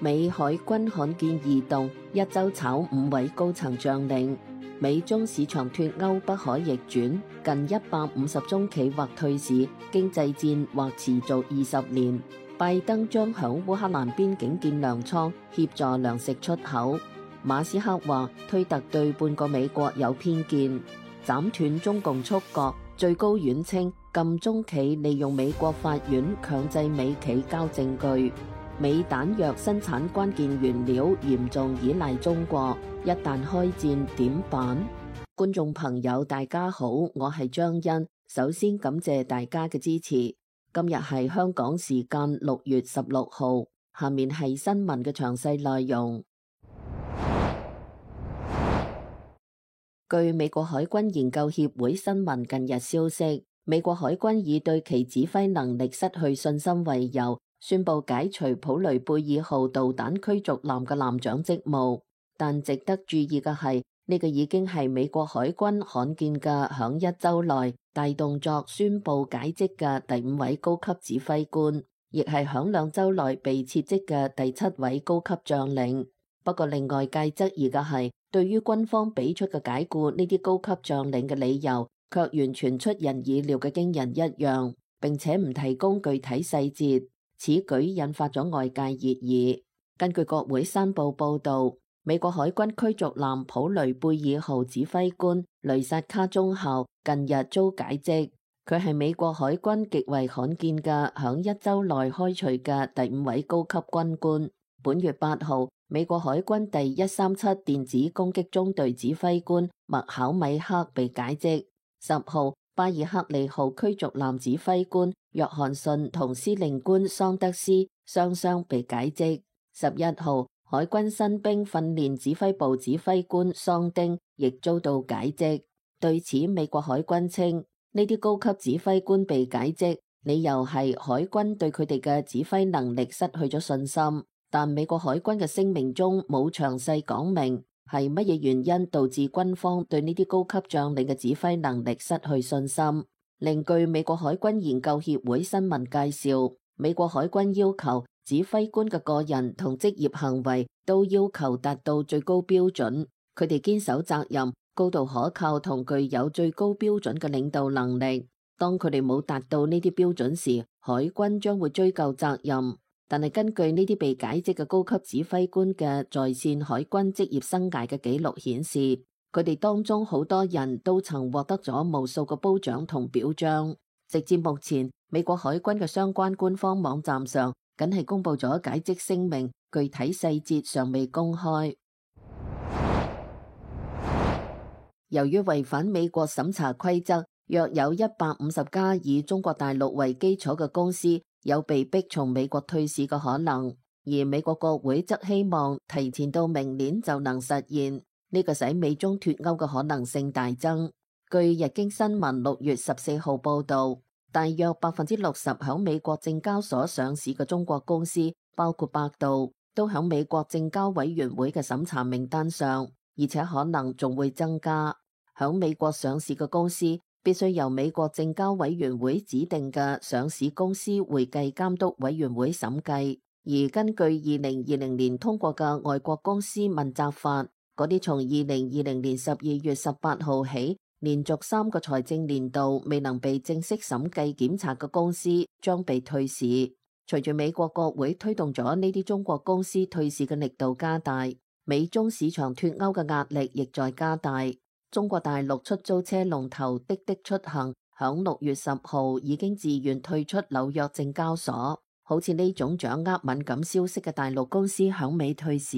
美海軍罕見異動，一周炒5位高層將領。美中市場脫鈎不可逆轉，近150宗企或退市，經濟戰或持續20年。拜登將響烏克蘭邊境建糧倉，協助糧食出口。馬斯克話推特對半個美國有偏見，斬斷中共觸覺。最高院稱禁中企利用美國法院強制美企交證據。美彈藥生產關鍵原料嚴重依賴中國，一旦開戰點辦？觀眾朋友大家好，我係張欣，首先感謝大家嘅支持。今日係香港時間6月16號，下面係新聞嘅詳細內容。據美國海軍研究協會新聞近日消息，美國海軍以對其指揮能力失去信心為由，宣布解除普雷貝爾號導彈驅逐艦嘅艦長職務。但值得注意嘅係，呢個已經係美國海軍罕見嘅響一周內大動作宣布解職嘅第5位高級指揮官，亦係響2週內被撤職嘅第7位高級將領。不過令外界質疑嘅係，對於軍方俾出嘅解僱呢啲高級將領嘅理由，卻完全出人意料嘅驚人一樣，並且唔提供具體細節。此舉引發咗外界熱議。根據國會山報報導，美國海軍驅逐艦普雷貝爾號指揮官雷薩卡中校近日遭解職，佢係美國海軍極為罕見嘅響一週內開除嘅第5位高級軍官。本月8號，美國海軍第137電子攻擊中隊指揮官麥考米克被解職。10號，巴爾克利號驅逐艦指揮官約翰遜同司令官桑德斯雙雙被解職。11號，海軍新兵訓練指揮部指揮官桑丁亦遭到解職。對此，美國海軍稱呢啲高級指揮官被解職，理由係海軍對佢哋嘅指揮能力失去咗信心。但美國海軍嘅聲明中冇詳細講明係乜嘢原因導致軍方對呢啲高級將領嘅指揮能力失去信心。另據美國海軍研究協會新聞介紹，美國海軍要求指揮官嘅個人同職業行為都要求達到最高標準，佢哋堅守責任、高度可靠同具有最高標準嘅領導能力。當佢哋冇達到呢啲標準時，海軍將會追究責任。但係根據呢啲被解職嘅高級指揮官嘅在線海軍職業生涯嘅記錄顯示，佢哋當中好多人都曾獲得咗無數個褒獎同表彰。直至目前，美國海軍嘅相關官方網站上僅係公布咗解職聲明，具體細節尚未公開。由於違反美國審查規則，約有150家以中國大陸為基礎嘅公司有被逼從美國退市嘅可能，而美國國會則希望提前到明年就能實現，呢個使美中脫鈎嘅可能性大增。據日經新聞6月14號報道，大約60%響美國證交所上市嘅中國公司，包括百度，都響美國證交委員會嘅審查名單上，而且可能仲會增加。響美國上市嘅公司必須由美國證交委員會指定嘅上市公司會計監督委員會審計，而根據2020年通過嘅外國公司問責法，嗰啲從2020年12月18號起連續3個財政年度未能被正式審計檢查嘅公司將被退市。隨住美國國會推動咗呢啲中國公司退市嘅力度加大，美中市場脫鈎嘅壓力亦在加大。中國大陸出租車龍頭滴滴出行響6月10號已經自願退出紐約證交所。好似呢種掌握敏感消息嘅大陸公司響美退市，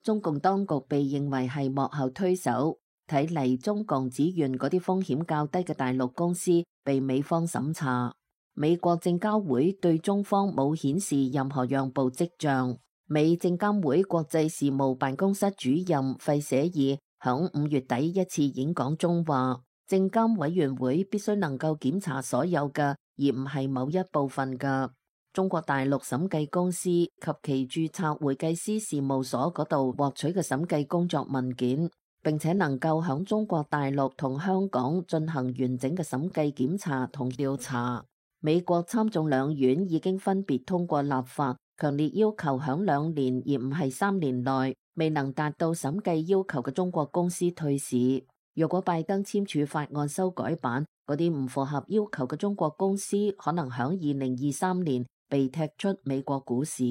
中共當局被認為係幕後推手。睇嚟中共只願嗰啲風險較低嘅大陸公司被美方審查。美國證交會對中方冇顯示任何讓步跡象。美證監會國際事務辦公室主任費舍爾響5月底一次演講中話，證監委員會必須能夠檢查所有嘅，而唔係某一部分嘅中國大陸審計公司及其註冊會計師事務所嗰度獲取嘅審計工作文件，並且能夠響中國大陸同香港進行完整嘅審計檢查同調查。美國參眾兩院已經分別通過立法強烈要求響2年而唔係3年內未能達到審計要求嘅中國公司退市。若果拜登簽署法案修改版，嗰啲唔符合要求嘅中國公司可能響2023年被踢出美國股市。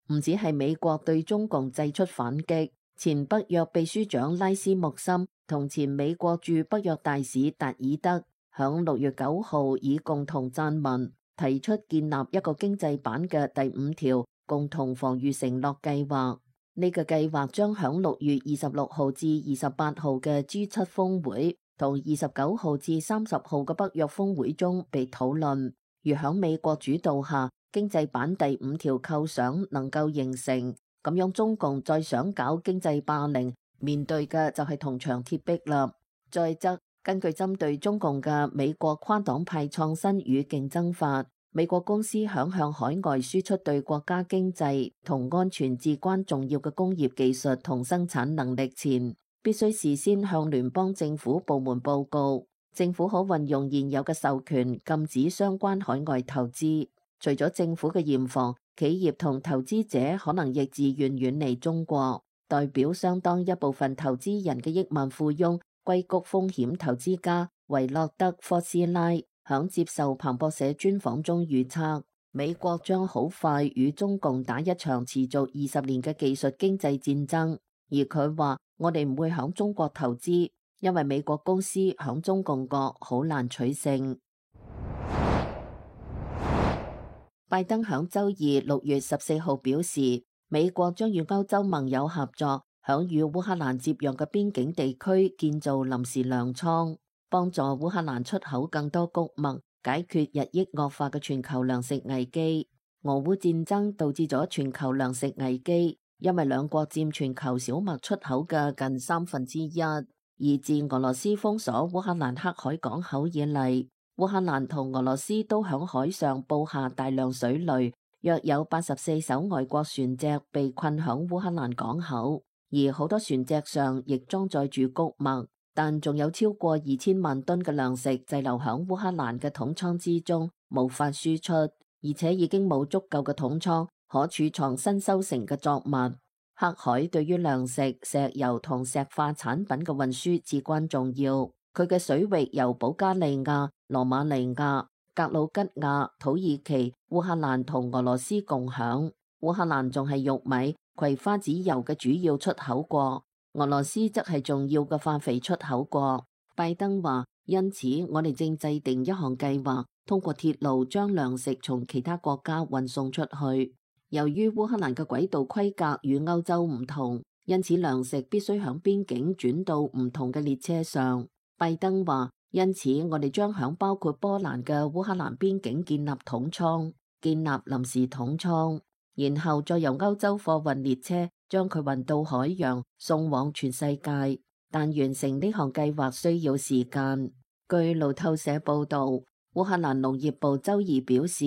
唔止係美國對中共祭出反擊，前北約秘書長拉斯穆森同前美國駐北約大使達爾德響6月9號以共同撰文提出建立一個經濟版嘅第5條共同防禦承諾計劃。呢個計劃將響6月26號至28號嘅 G7 峰會同29號至30號嘅北約峰會中被討論。如響美國主導下，經濟版第5條構想能夠形成，咁樣中共再想搞經濟霸凌，面對嘅就係銅牆鐵壁啦。再則，根據針對中共嘅美國跨黨派創新與競爭法，美國公司響向海外輸出對國家經濟同安全至關重要嘅工業技術同生產能力前，必須事先向聯邦政府部門報告。政府可運用現有嘅授權禁止相關海外投資。除咗政府嘅嚴防，企業同投資者可能亦自願遠離中國。代表相當一部分投資人嘅億萬富翁硅谷風險投資家維洛德·科斯拉響接受彭博社專訪中預測，美國將好快與中共打一場持續20年嘅技術經濟戰爭。而佢話：我哋唔會響中國投資，因為美國公司響中共國好難取勝。拜登響週二6月14號表示，美國將與歐洲盟友合作，響與烏克蘭接壤嘅邊境地區建造臨時糧倉，幫助烏克蘭出口更多穀物，解決日益惡化嘅全球糧食危機。俄烏戰爭導致咗全球糧食危機，因為兩國佔全球小麥出口嘅近1/3。而自俄羅斯封鎖烏克蘭黑海港口以嚟，烏克蘭同俄羅斯都響海上布下大量水雷，約有84艘外國船隻被困響烏克蘭港口，而好多船隻上亦裝載住穀物，但仲有超過2000萬噸嘅糧食滯留響烏克蘭嘅桶倉之中，無法輸出，而且已經冇足夠嘅桶倉可儲藏新收成嘅作物。黑海對於糧食、石油同石化產品嘅運輸至關重要。佢嘅水域由保加利亞、羅馬尼亞、格魯吉亞、土耳其、烏克蘭同俄羅斯共享。烏克蘭仲係玉米、葵花籽油嘅主要出口國，俄羅斯則係重要嘅化肥出口國。拜登話：因此，我哋正制定一項計劃，通過鐵路將糧食從其他國家運送出去。由於烏克蘭嘅軌道規格與歐洲唔同，因此糧食必須響邊境轉到唔同嘅列車上。拜登話：因此我哋將響包括波蘭嘅烏克蘭邊境建立桶倉，建立臨時桶倉，然後再由歐洲貨運列車將佢運到海洋，送往全世界。但完成呢項計劃需要時間。據路透社報道，烏克蘭農業部週二表示，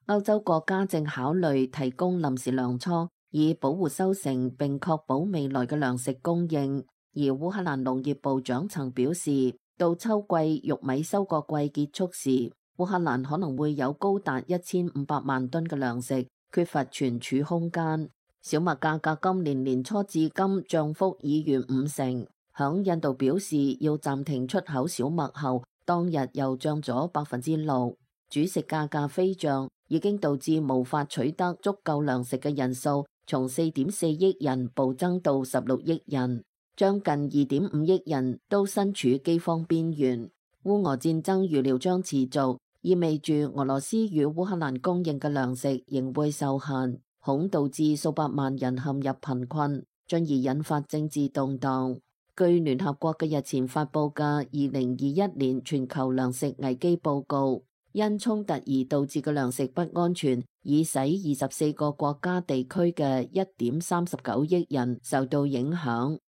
歐洲國家正考慮提供臨時糧倉，以保護收成並確保未來嘅糧食供應。而烏克蘭農業部長曾表示，到秋季玉米收割季結束時，烏克蘭可能會有高達1500萬噸嘅糧食，缺乏存儲空間。小麥價格今年年初至今漲幅已逾50%。響印度表示要暫停出口小麥後，當日又漲咗6%。主食價格飛漲，已經導致無法取得足夠糧食嘅人數從4.4億人暴增到16億人，將近2.5億人都身處饑荒邊緣。烏俄戰爭預料將持續，意味住俄羅斯與烏克蘭供應嘅糧食仍會受限，恐導致數百萬人陷入貧困，進而引發政治動盪。據聯合國嘅日前發佈嘅2021年全球糧食危機報告，因衝突而導致嘅糧食不安全，已使24個國家地區嘅1.39億人受到影響。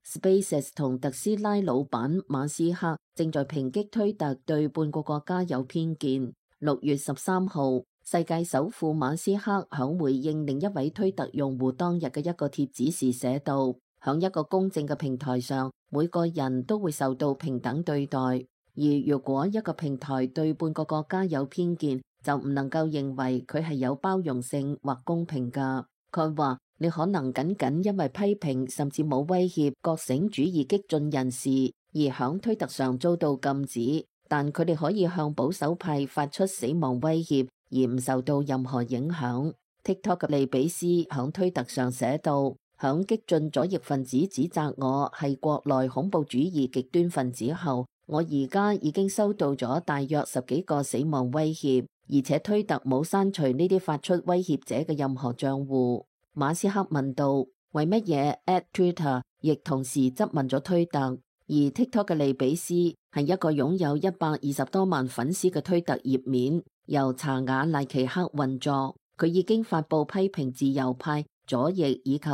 SpaceX 同特斯拉老闆馬斯克正在抨擊推特對半個國家有偏見。6月13號，世界首富馬斯克響回應另一位推特用戶當日嘅一個帖子時寫道：響一個公正嘅平台上，每個人都會受到平等對待。而如果一個平台對半個國家有偏見，就唔能夠認為佢係有包容性或公平㗎。佢話：你可能僅僅因為批評甚至冇威脅覺醒主義激進人士而響推特上遭到禁止，但佢哋可以向保守派發出死亡威脅而唔受到任何影響。TikTok 嘅利比斯響推特上寫道：響激進左翼分子指責我係國內恐怖主義極端分子後，我而家已經收到咗大約10幾個死亡威脅，而且推特冇刪除呢啲發出威脅者嘅任何賬戶。馬斯克問道：為乜嘢 @Twitter 亦同時質問咗推特？而 TikTok 嘅利比斯係一個擁有120多萬粉絲嘅推特頁面，由查瓦賴奇克運作。佢已經發布批評自由派、左翼以及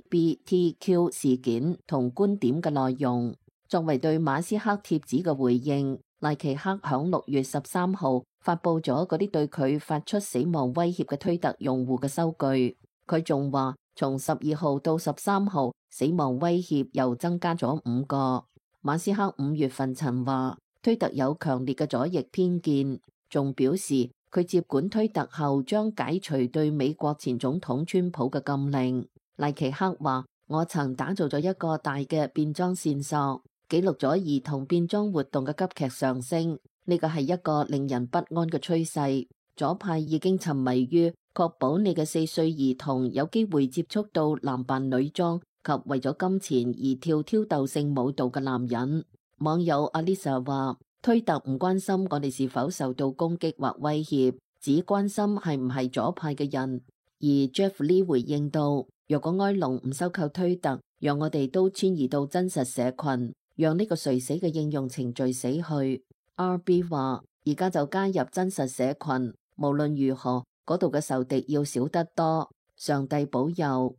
LGBTQ 事件同觀點嘅內容。作為對馬斯克貼子嘅回應，賴奇克響6月13號發布咗嗰啲對佢發出死亡威脅嘅推特用戶嘅收據。佢仲話，從12號到13號，死亡威脅又增加咗5個。馬斯克5月份曾話，推特有強烈嘅左翼偏見，仲表示佢接管推特後將解除對美國前總統川普嘅禁令。賴奇克話：我曾打造咗一個大嘅變裝線索，記錄咗兒童變裝活動嘅急劇上升。呢個係一個令人不安嘅趨勢。左派已經沉迷於確保你嘅4歲兒童有機會接觸到男扮女裝及為咗金錢而跳挑逗性舞蹈嘅男人。網友 Alisa 話：推特唔關心我哋是否受到攻擊或威脅，只關心係唔係左派嘅人。而 Jeff Lee 回應到：若果埃隆唔收購推特，讓我哋都遷移到真實社群，讓呢個垂死嘅應用程序死去。RB 話：而家就加入真實社群，無論如何，嗰度嘅仇敵要少得多。上帝保佑。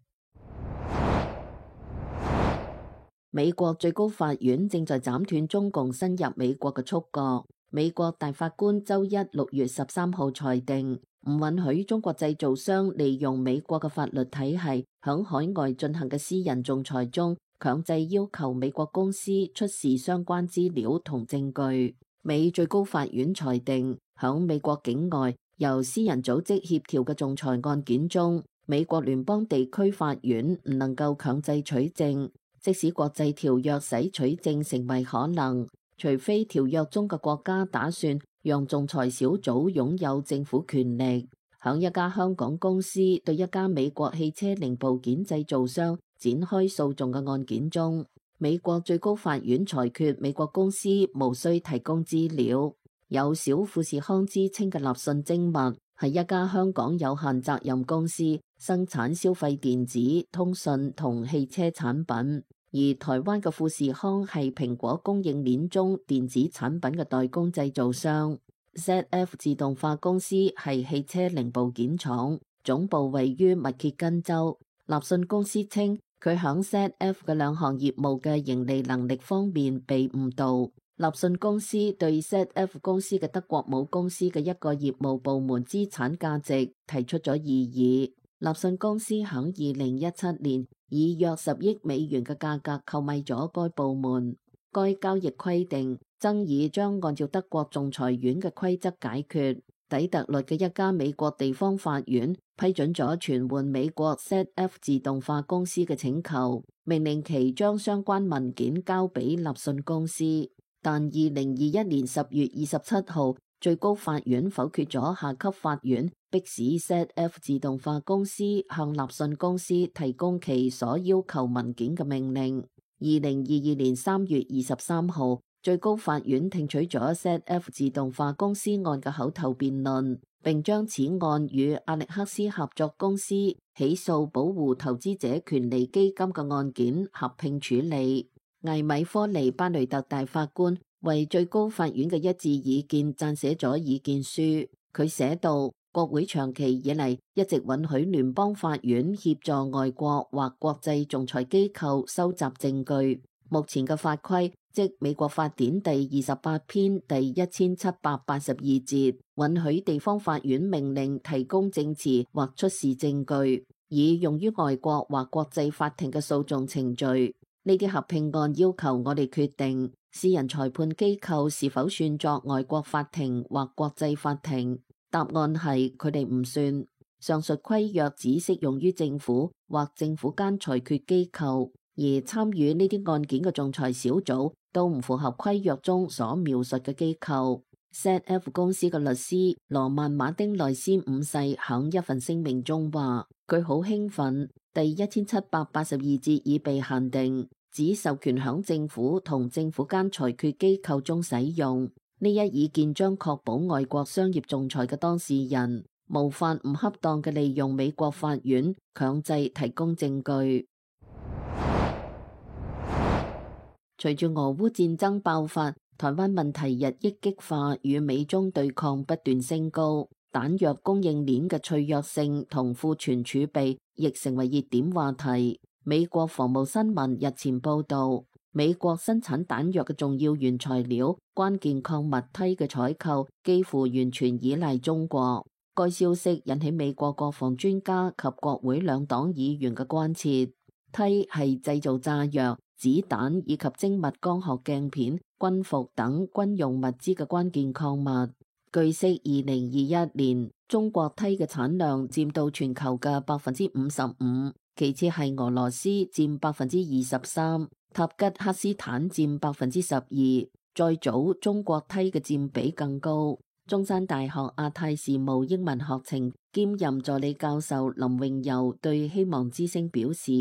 美國最高法院正在斬斷中共伸入美國嘅觸角。美國大法官周一6月13號裁定，唔允許中國製造商利用美國嘅法律體系響海外進行嘅私人仲裁中，強制要求美國公司出示相關資料同證據。美最高法院裁定，響美國境外由私人組織協調嘅仲裁案件中，美國聯邦地區法院唔能夠強制取證，即使國際條約使取證成為可能，除非條約中嘅國家打算讓仲裁小組擁有政府權力。響一家香港公司對一家美國汽車零部件製造商展開訴訟嘅案件中，美國最高法院裁決美國公司無需提供資料。有小富士康之稱嘅立訊精密係一家香港有限責任公司，生產消費電子、通訊同汽車產品。而台灣嘅富士康係蘋果供應鏈中電子產品嘅代工製造商。ZF 自動化公司係汽車零部件廠，總部位於密歇根州。立訊公司稱，佢響 ZF 嘅2項業務嘅盈利能力方面被誤導。立訊公司對 ZF 公司嘅德國母公司嘅一個業務部門資產價值提出咗異議。立訊公司響2017年以約10億美元嘅價格購買咗該部門。該交易規定，爭議將按照德國仲裁院嘅規則解決。底特律嘅一家美國地方法院批准咗傳喚美國 ZF 自動化公司嘅請求，命令其將相關文件交俾立訊公司。但2021年10月27號，最高法院否決咗下級法院迫使 ZF 自動化公司向立訊公司提供其所要求文件嘅命令。2022年3月23號，最高法院聽取咗 ZF 自動化公司案嘅口頭辯論，並將此案與阿力克斯合作公司起訴保護投資者權利基金嘅案件合併處理。艾米科尼巴雷特大法官為最高法院嘅一致意見撰寫咗意見書。佢寫道：國會長期以嚟一直允許聯邦法院協助外國或國際仲裁機構收集證據。目前嘅法規，即美國法典第28篇第1782節，允許地方法院命令提供證詞或出示證據，以用於外國或國際法庭嘅訴訟程序。呢啲合併案要求我哋決定私人裁判機構是否算作外國法庭或國際法庭。答案係佢哋唔算。上述規約只適用於政府或政府間裁決機構，而參與呢啲案件嘅仲裁小組都唔符合規約中所描述嘅機構。ZF 公司嘅律師羅曼馬丁內斯五世響一份聲明中話：佢好興奮，第1782節已被限定，只授權響政府同政府間裁決機構中使用。呢一意見將確保外國商業仲裁嘅當事人無法唔恰當嘅利用美國法院強制提供證據。隨住俄烏戰爭爆發，台灣問題日益激化，與美中對抗不斷升高，彈藥供應鏈嘅脆弱性同庫存儲備亦成為熱點話題。美國防務新聞日前報道，美國生產彈藥嘅重要原材料關鍵礦物銻嘅採購幾乎完全依賴中國。該消息引起美國國防專家及國會兩黨議員嘅關切。銻係製造炸藥、子彈以及精密光學鏡片、軍服等軍用物資嘅關鍵礦物。據悉，2021年中國銻嘅產量佔到全球嘅55%，其次係俄羅斯佔23%，塔吉克斯坦佔12%，再早中國銻嘅佔比更高。中山大學亞太事務英文學程兼任助理教授林榮游對希望之聲表示，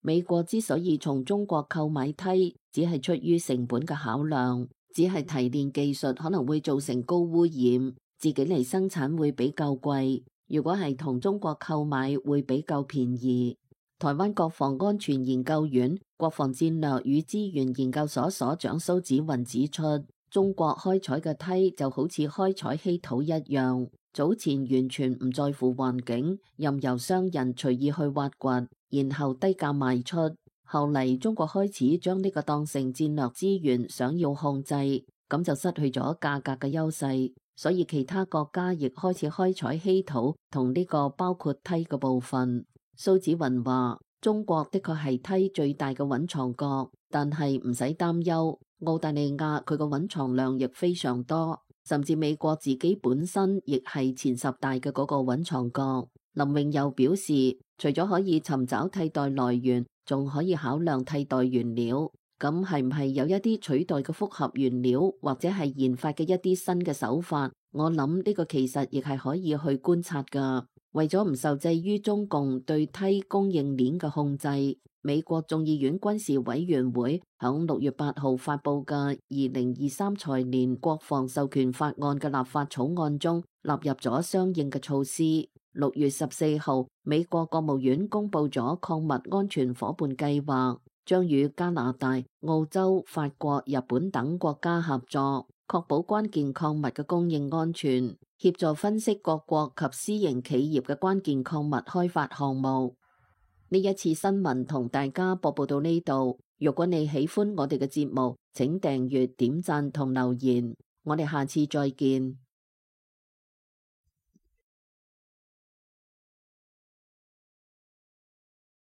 美國之所以從中國購買銻，只係出於成本嘅考量，只係提煉技術可能會造成高污染，自己嚟生產會比較貴，如果係同中國購買會比較便宜。台灣國防安全研究院國防戰略與資源研究所所長蘇紫雲指出，中國開採嘅銻就好似開採稀土一樣，早前完全唔在乎環境，任由商人隨意去挖掘，然後低價賣出。後嚟中國開始將呢個當成戰略資源，想要控制，咁就失去咗價格嘅優勢。所以其他國家亦開始開採稀土同呢個包括銻嘅部分。蘇紫雲話：中國的確係銻最大嘅蘊藏國，但係唔使擔憂。澳大利亞佢個蘊藏量亦非常多，甚至美國自己本身亦係前10大嘅嗰個蘊藏國。林榮又表示，除咗可以尋找替代來源，仲可以考量替代原料。咁係唔係有一啲取代嘅複合原料，或者係研發嘅一啲新嘅手法？我諗呢個其實亦係可以去觀察㗎。為咗唔受制於中共對銻供應鏈嘅控制，美國眾議院軍事委員會響6月8號發佈嘅2023財年國防授權法案嘅立法草案中納入咗相應嘅措施。6月14號，美國國務院公布咗礦物安全夥伴計劃，將與加拿大、澳洲、法國、日本等國家合作，確保關鍵礦物嘅供應安全，協助分析各國及私營企業嘅關鍵礦物開發項目。呢一次新聞同大家播報到呢度。如果你喜歡我哋嘅節目，請訂閱、點讚同留言。我哋下次再見。